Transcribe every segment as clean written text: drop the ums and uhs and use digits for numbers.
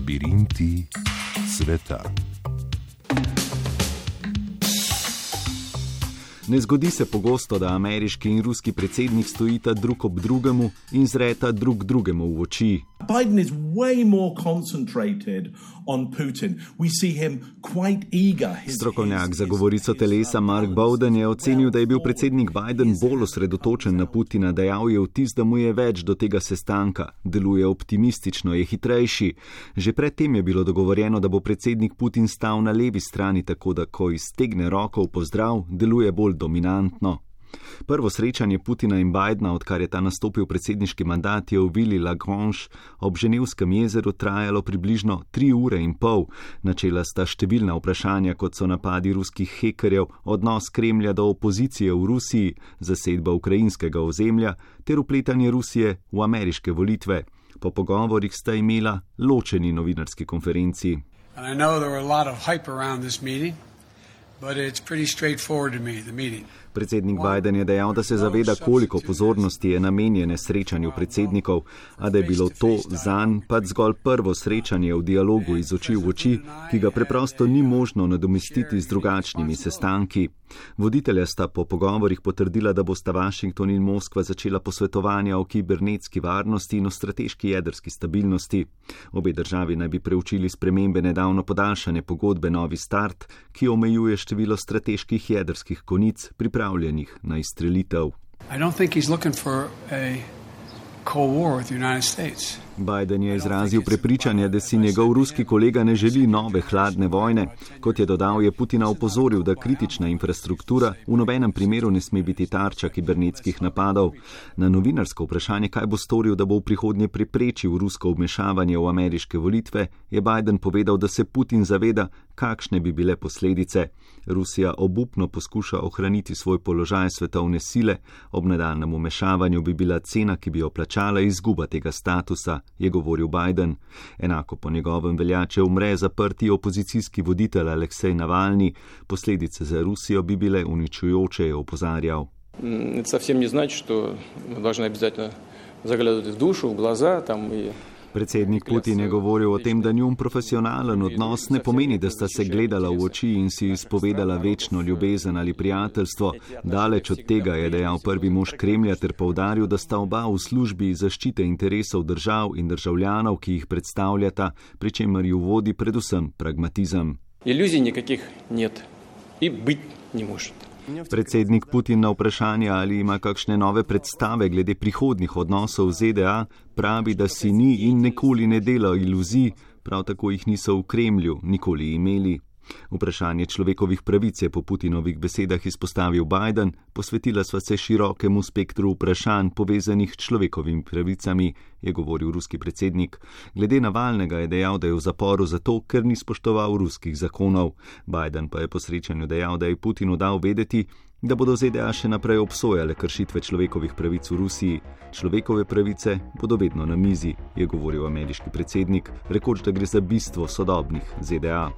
Labirinti sveta. Ne zgodi se pogosto, da ameriški in ruski predsednik stojita drug ob drugemu in zreta drug drugemu v oči. Biden is way more concentrated on Putin. We see him quite eager. Strokovnjak za govorico telesa Mark Bowden je ocenil, da je bil predsednik Biden bolj osredotočen na Putina, dejal je vtis, da mu je več do tega sestanka. Deluje optimistično, je hitrejši. Že predtem je bilo dogovorjeno, da bo predsednik Putin stal na levi strani, tako da ko iztegne roko v pozdrav, deluje bolj dominantno. Prvo srečanje Putina in Bidena, odkar je ta nastopil predsedniški mandat, je v vili Lagrange ob Ženevskem jezeru trajalo približno 3 ure in pol. Načela sta številna vprašanja, kot so napadi ruskih hekerjev, odnos Kremlja do opozicije v Rusiji, zasedba ukrajinskega ozemlja ter vpletanje Rusije v ameriške volitve. Po pogovorih sta imela ločeni novinarski konferenci. Predsednik Biden je dejal, da se zaveda, koliko pozornosti je namenjene srečanju predsednikov, a da je bilo to zanj pač zgolj prvo srečanje v dialogu iz oči v oči, ki ga preprosto ni možno nadomestiti z drugačnimi sestanki. Voditelja sta po pogovorih potrdila, da bosta Washington in Moskva začela posvetovanja o kibernetski varnosti in o strateški jedrski stabilnosti. Obe državi naj bi preučili spremembe nedavno podaljšane pogodbe Novi start, ki omejuje število strateških jedrskih konic pripravljenih na izstrelitev. Biden je izrazil prepričanje, da si njegov ruski kolega ne želi nove hladne vojne. Kot je dodal, je Putina opozoril, da kritična infrastruktura v nobenem primeru ne sme biti tarča kibernetskih napadov. Na novinarsko vprašanje, kaj bo storil, da bo v prihodnje preprečil rusko vmešavanje v ameriške volitve, je Biden povedal, da se Putin zaveda, kakšne bi bile posledice. Rusija obupno poskuša ohraniti svoj položaj svetovne sile, ob nadaljnjem vmešavanju bi bila cena, ki bi jo plačala, izguba tega statusa, je govoril Biden. Enako po njegovem velja, če umre zaprti opozicijski voditelj Aleksej Navalni, posledice za Rusijo bi bile uničujoče, je opozarjal. To совсем не значит, что мы должны обязательно заглядывать в душу, в глаза там и Predsednik Putin je govoril o tem, da njun profesionalen odnos ne pomeni, da sta se gledala v oči in si izpovedala večno ljubezen ali prijateljstvo. Daleč od tega, je dejal prvi mož Kremlja ter poudaril, da sta oba v službi zaščite interesov držav in državljanov, ki jih predstavljata, pri čemer ju vodi predvsem pragmatizem. Iluzij nikakih нет и быть не может. Predsednik Putin na vprašanje, ali ima kakšne nove predstave glede prihodnjih odnosov z ZDA, pravi, da si ni in nikoli ne dela iluzij, prav tako jih niso v Kremlju nikoli imeli. Vprašanje človekovih pravic je po Putinovih besedah izpostavil Biden, posvetila sva se širokemu spektru vprašanj povezanih s človekovimi pravicami, je govoril ruski predsednik. Glede Navalnega je dejal, da je v zaporu zato, ker ni spoštoval ruskih zakonov. Biden pa je po srečanju dejal, da je Putinu dal vedeti, da bodo ZDA še naprej obsojale kršitve človekovih pravic v Rusiji. Človekove pravice bodo vedno na mizi, je govoril ameriški predsednik, rekoč, da gre za bistvo sodobnih ZDA.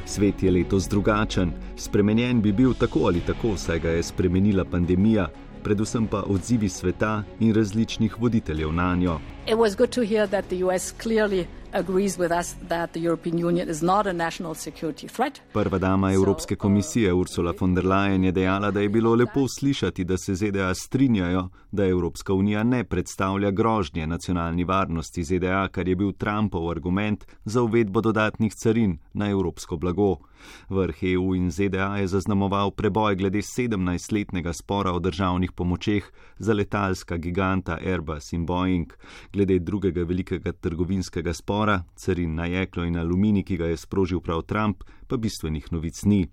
Svet je letos drugačen. Spremenjen bi bil tako ali tako, saj ga je spremenila pandemija, predvsem pa odzivi sveta in različnih voditeljev nanjo. It was good to hear that the US clearly agrees with us that the European Union is not a national security threat. Prva dama Evropske komisije Ursula von der Leyen je dejala, da je bilo lepo slišati, da se ZDA strinjajo, da Evropska unija ne predstavlja grožnje nacionalni varnosti ZDA, kar je bil Trumpov argument za uvedbo dodatnih carin na evropsko blago. Vrh EU in ZDA je zaznamoval preboj glede 17-letnega spora o državnih pomočeh za letalska giganta Airbus in Boeing. Glede drugega velikega trgovinskega spora, carin na jeklo in aluminij, ki ga je sprožil prav Trump, pa bistvenih novic ni.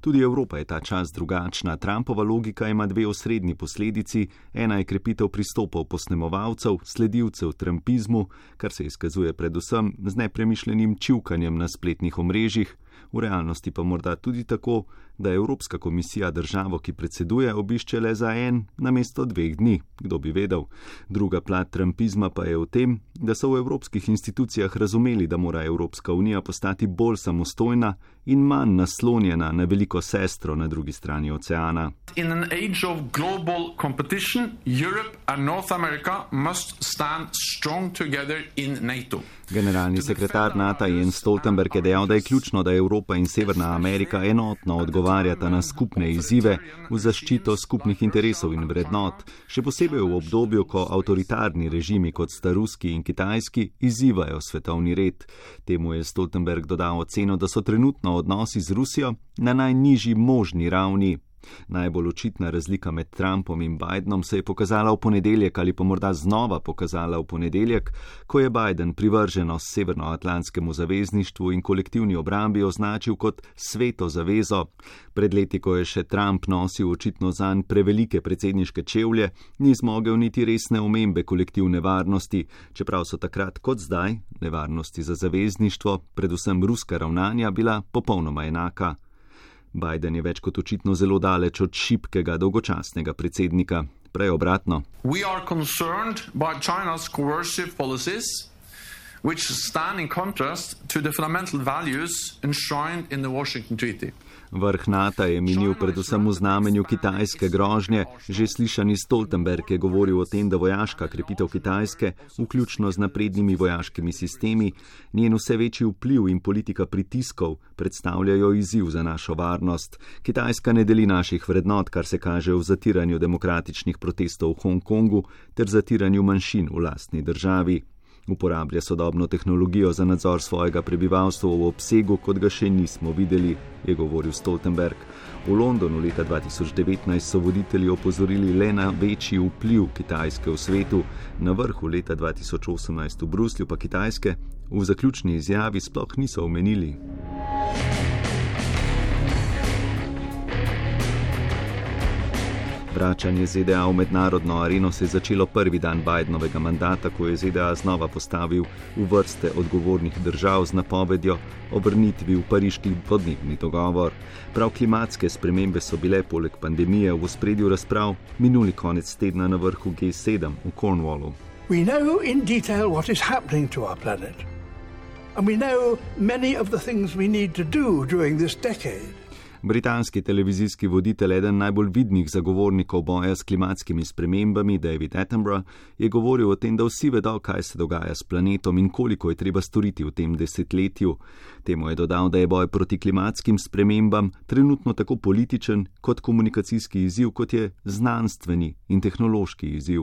Tudi Evropa je ta čas drugačna. Trumpova logika ima dve osrednji posledici. Ena je krepitev pristopov posnemovalcev, sledilcev trumpizmu, kar se izkazuje predvsem z nepremišljenim čivkanjem na spletnih omrežjih. V realnosti pa morda tudi tako, da Evropska komisija državo, ki predseduje, obišče le za 1 namesto 2 dni. Kdo bi vedel? Druga plat trumpizma pa je v tem, da so v evropskih institucijah razumeli, da mora Evropska unija postati bolj samostojna in manj naslonjena na veliko sestro na drugi strani oceana. In an age of global competition, Europe and North America must stand strong together in NATO. Generalni sekretar NATO Jens Stoltenberg je dejal, da je ključno, da Evropa in Severna Amerika enotno odgovarjata na skupne izzive v zaščito skupnih interesov in vrednot, še posebej v obdobju, ko avtoritarni režimi kot sta ruski in kitajski izzivajo svetovni red. Temu je Stoltenberg dodal oceno, da so trenutno odnosi z Rusijo na najnižji možni ravni. Najbolj očitna razlika med Trumpom in Bidenom se je pokazala v ponedeljek ali pa morda znova pokazala v ponedeljek, ko je Biden privrženost Severnoatlantskemu zavezništvu in kolektivni obrambi označil kot sveto zavezo. Pred leti, ko je še Trump nosil očitno zanj prevelike predsedniške čevlje, ni zmogel niti resne omembe kolektivne varnosti, čeprav so takrat kot zdaj nevarnosti za zavezništvo, predvsem ruska ravnanja, bila popolnoma enaka. Biden je več kot očitno zelo daleč od šibkega, dolgočasnega predsednika. Prej obratno. We are concerned by China's coercive policies, which stand in contrast to the fundamental values enshrined in the Washington Treaty. Vrh NATO je minil predvsem v znamenju kitajske grožnje. Že slišani Stoltenberg je govoril o tem, da vojaška krepitev Kitajske, vključno z naprednimi vojaškimi sistemi, njen vse večji vpliv in politika pritiskov predstavljajo izziv za našo varnost. Kitajska ne deli naših vrednot, kar se kaže v zatiranju demokratičnih protestov v Hongkongu ter zatiranju manjšin v lastni državi. Uporablja sodobno tehnologijo za nadzor svojega prebivalstva v obsegu, kot ga še nismo videli, je govoril Stoltenberg. V Londonu leta 2019 so voditelji opozorili le na večji vpliv Kitajske v svetu, na vrhu leta 2018 v Bruslju pa Kitajske v zaključni izjavi sploh niso omenili. Vračanje ZDA v mednarodno areno se je začelo prvi dan Bidenovega mandata, ko je ZDA znova postavil v vrste odgovornih držav z napovedjo o vrnitvi v pariški podnebni dogovor. Prav klimatske spremembe so bile poleg pandemije v ospredju razprav minuli konec tedna na vrhu G7 v Cornwallu. We know in detail what is happening to our planet. And we know many of the things we need to do during this decade. Britanski televizijski voditelj, eden najbolj vidnih zagovornikov boja s klimatskimi spremembami, David Attenborough, je govoril o tem, da vsi vedo, kaj se dogaja s planetom in koliko je treba storiti v tem desetletju. Temu je dodal, da je boj proti klimatskim spremembam trenutno tako političen kot komunikacijski izziv, kot je znanstveni in tehnološki izziv.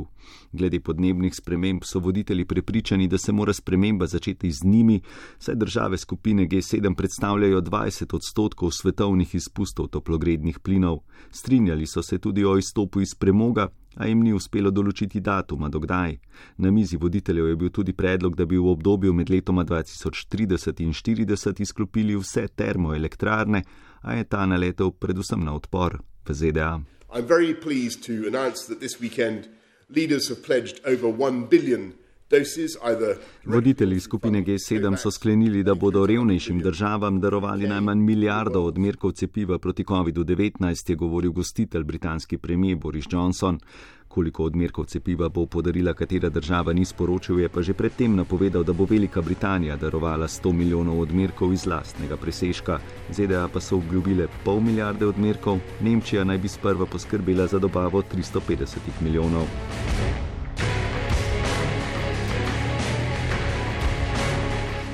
Glede podnebnih sprememb so voditelji prepričani, da se mora sprememba začeti z njimi, saj države skupine G7 predstavljajo 20% svetovnih izpustov toplogrednih plinov. Strinjali so se tudi o izstopu iz premoga, a jim ni uspelo določiti datuma do kdaj. Na mizi voditeljev je bil tudi predlog, da bi v obdobju med letoma 2030 in 40 izklopili vse termoelektrarne, a je ta naletel predvsem na odpor v ZDA. I'm very pleased to announce that this weekend leaders have pledged over 1 billion doses, either... Voditelji skupine G7 so sklenili, da bodo revnejšim državam darovali najmanj 1 milijardo odmerkov cepiva proti COVID-19, je govoril gostitelj, britanski premier Boris Johnson. Koliko odmerkov cepiva bo podarila katera država, ni sporočil, je pa že predtem napovedal, da bo Velika Britanija darovala 100 milijonov odmerkov iz lastnega presežka. ZDA pa so obljubile 0,5 milijarde odmerkov, Nemčija naj bi sprva poskrbela za dobavo 350 milijonov.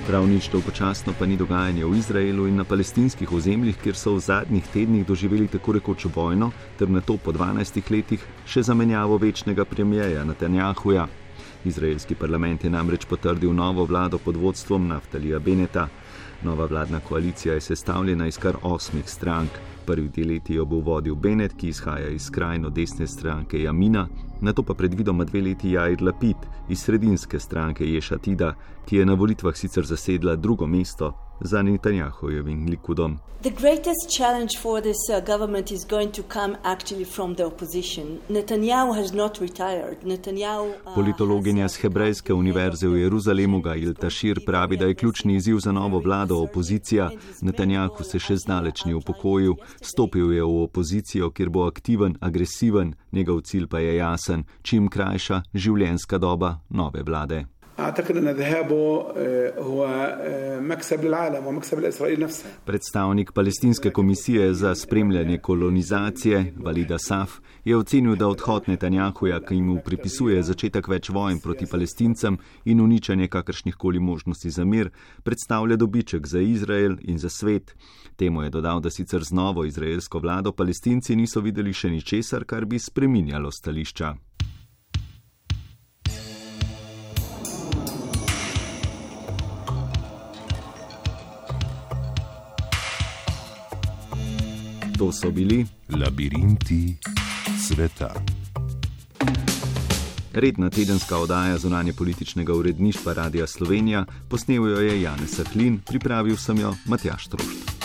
Prav nič dolgočasno pa ni dogajanje v Izraelu in na palestinskih ozemljih, kjer so v zadnjih tednih doživeli tako rekoč vojno, ter nato po 12 letih še zamenjavo večnega premierja Netanjahuja. Izraelski parlament je namreč potrdil novo vlado pod vodstvom Naftalija Beneta. Nova vladna koalicija je sestavljena iz kar 8 strank. Prvi 2 leti jo bo vodil Bennett, ki izhaja iz skrajno desne stranke Jamina, nato pa predvidoma 2 leti Jair Lapid iz sredinske stranke Ješ Atida, ki je na volitvah sicer zasedla 2. mesto, za Netanjahujevim Likudom. The greatest challenge for this government is going to come actually from the opposition. Netanyahu has not retired. Politologinja z Hebrejske univerze v Jeruzalemu Gail Tashir pravi, da je ključni izziv za novo vlado opozicija. Netanjahu se še zdaleč ni upokojil. Stopil je v opozicijo, kjer bo aktiven, agresiven, njegov cilj pa je jasen, čim krajša življenjska doba nove vlade. Predstavnik palestinske komisije za spremljanje kolonizacije, Valida Saf, je ocenil, da odhod Netanjahuja, ki mu pripisuje začetek več vojn proti Palestincem in uničenje kakršnihkoli možnosti za mir, predstavlja dobiček za Izrael in za svet. Temu je dodal, da sicer z novo izraelsko vlado Palestinci niso videli še ničesar, kar bi spreminjalo stališča. To so bili Labirinti sveta. Redna tedenska oddaja zunanje političnega uredništva Radia Slovenija, posnel jo je Janez Sahlin, pripravil sem jo Matjaž Trošt.